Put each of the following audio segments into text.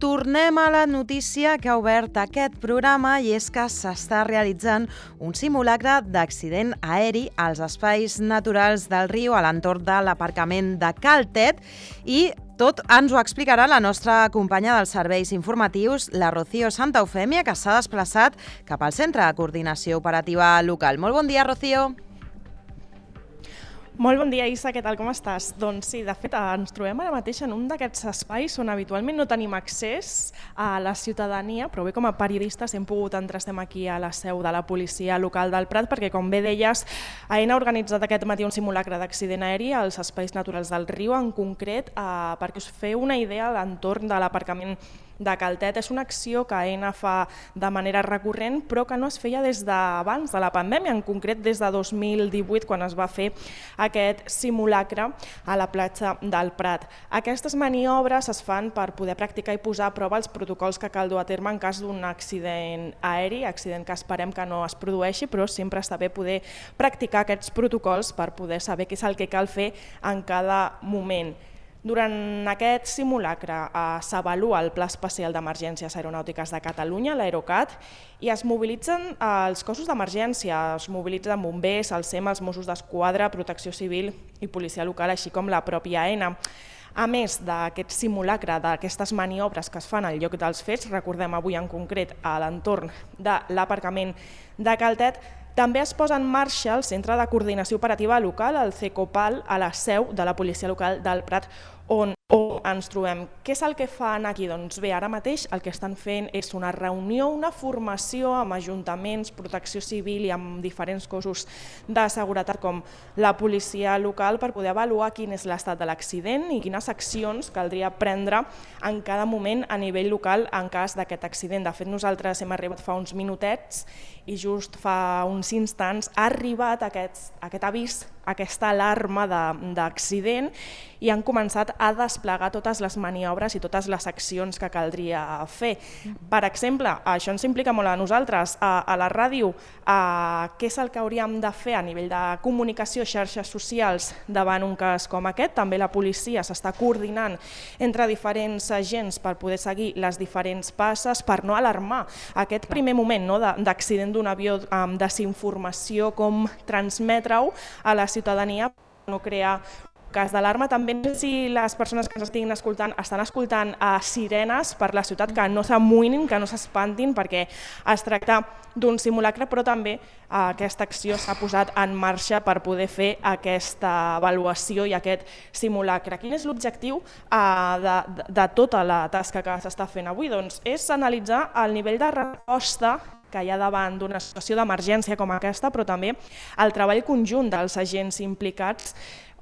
tornem a la notícia que ha obert aquest programa i és que s'està realitzant un simulacre d'accident aeri als espais naturals del riu a l'entorn de l'aparcament de Cal Tet i tot ens ho explicarà la nostra companya dels serveis informatius, la Rocío Santa Eufèmia, que s'ha desplaçat cap al Centre de Coordinació Operativa Local. Molt bon dia, Rocío. Molt bon dia, Isa, què tal, com estàs? Doncs sí, de fet, ens trobem ara mateix en un d'aquests espais on habitualment no tenim accés a la ciutadania, però bé, com a periodistes hem pogut entrar, estem aquí a la seu de la policia local del Prat, perquè, com bé deies, AENA ha organitzat aquest matí un simulacre d'accident aeri als espais naturals del riu, en concret, perquè us feu una idea a l'entorn de l'aparcament de Cal Tet. És una acció que AENA fa de manera recurrent, però que no es feia des d'abans de la pandèmia, en concret des de 2018, quan es va fer aquest simulacre a la platja del Prat. Aquestes maniobres es fan per poder practicar i posar a prova els protocols que cal dur a terme en cas d'un accident aeri, accident que esperem que no es produeixi, però sempre està bé poder practicar aquests protocols per poder saber què és el que cal fer en cada moment. Durant aquest simulacre s'avalua el Pla Especial d'Emergències Aeronàutiques de Catalunya, l'Aerocat, i es mobilitzen els cossos d'emergència, es mobilitzen bombers, el SEM, els Mossos d'Esquadra, Protecció Civil i Policia Local, així com la pròpia AENA. A més d'aquest simulacre, d'aquestes maniobres que es fan al lloc dels fets, recordem avui en concret a l'entorn de l'aparcament de Cal Tet, també es posa en marxa el Centre de Coordinació Operativa Local, el CECOPAL, a la seu de la Policia Local del Prat, on ens trobem. Què és el que fan aquí? Doncs bé, ara mateix el que estan fent és una reunió, una formació amb ajuntaments, protecció civil i amb diferents cossos de seguretat com la policia local per poder avaluar quin és l'estat de l'accident i quines accions caldria prendre en cada moment a nivell local en cas d'aquest accident. De fet, nosaltres hem arribat fa uns minutets i just fa uns instants ha arribat aquest avís, aquesta alarma d'accident i han començat a desplegar totes les maniobres i totes les accions que caldria fer. Per exemple, això ens implica molt a nosaltres, a la ràdio, què és el que hauríem de fer a nivell de comunicació, xarxes socials davant un cas com aquest. També la policia s'està coordinant entre diferents agents per poder seguir les diferents passes, per no alarmar aquest primer moment d'accident d'un avió, amb desinformació, com transmetre-ho a la ciutadania, no crear cas d'alarma. També no sé si les persones que ens estiguin escoltant estan escoltant sirenes per la ciutat, que no s'amoïnin, que no s'espantin, perquè es tracta d'un simulacre, però també aquesta acció s'ha posat en marxa per poder fer aquesta avaluació i aquest simulacre. Quin és l'objectiu de tota la tasca que s'està fent avui? Doncs és analitzar el nivell de resposta que hi ha davant d'una situació d'emergència com aquesta, però també el treball conjunt dels agents implicats,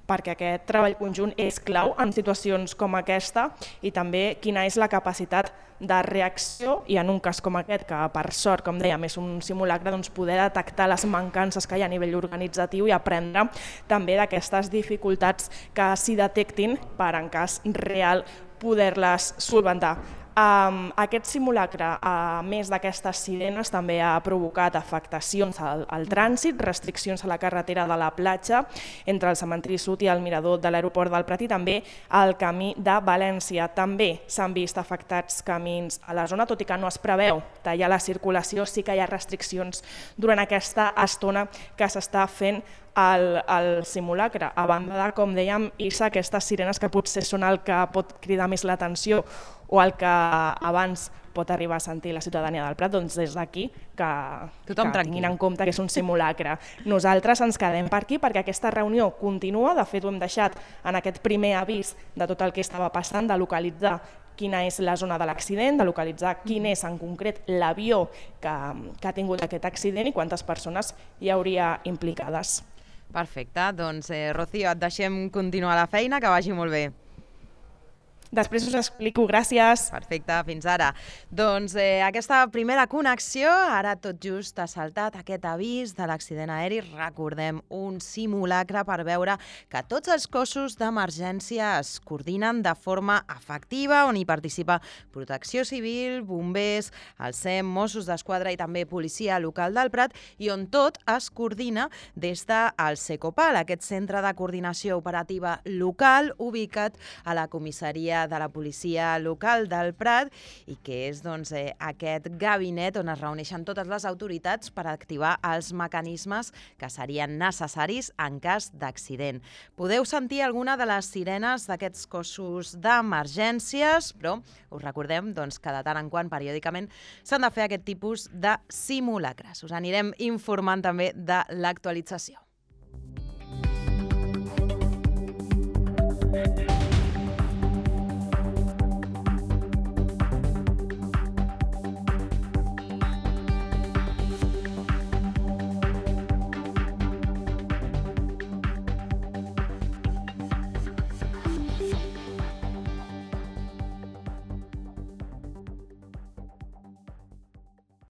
perquè aquest treball conjunt és clau en situacions com aquesta, i també quina és la capacitat de reacció i en un cas com aquest, que per sort, com dèiem, és un simulacre, doncs poder detectar les mancances que hi ha a nivell organitzatiu i aprendre també d'aquestes dificultats que s'hi detectin per, en cas real, poder-les solventar. Aquest simulacre, a més d'aquestes sirenes, també ha provocat afectacions al trànsit, restriccions a la carretera de la platja entre el cementiri sud i el mirador de l'aeroport del Prat i també al camí de València. També s'han vist afectats camins a la zona, tot i que no es preveu tallar la circulació, sí que hi ha restriccions durant aquesta estona que s'està fent el simulacre. A banda de, com dèiem, Isa, aquestes sirenes que potser són el que pot cridar més l'atenció o el que abans pot arribar a sentir la ciutadania del Prat, doncs des d'aquí que tinguin en compte que és un simulacre. Nosaltres ens quedem per aquí perquè aquesta reunió continua, de fet ho hem deixat en aquest primer avís de tot el que estava passant, de localitzar quina és la zona de l'accident, de localitzar quin és en concret l'avió que ha tingut aquest accident i quantes persones hi hauria implicades. Perfecte, doncs Rocío, et deixem continuar la feina, que vagi molt bé. Després us explico, gràcies. Perfecte, fins ara. Doncs aquesta primera connexió, ara tot just ha saltat aquest avís de l'accident aeri. Recordem, un simulacre per veure que tots els cossos d'emergència es coordinen de forma efectiva, on hi participa Protecció Civil, bombers, el SEM, Mossos d'Esquadra i també Policia Local del Prat, i on tot es coordina des del CECOPAL, aquest Centre de Coordinació Operativa Local, ubicat a la comissaria memòria de la policia local del Prat i que és aquest gabinet on es reuneixen totes les autoritats per activar els mecanismes que serien necessaris en cas d'accident. Podeu sentir alguna de les sirenes d'aquests cossos d'emergències, però us recordem que de tant en quant, periòdicament, s'han de fer aquest tipus de simulacres. Us anirem informant també de l'actualització.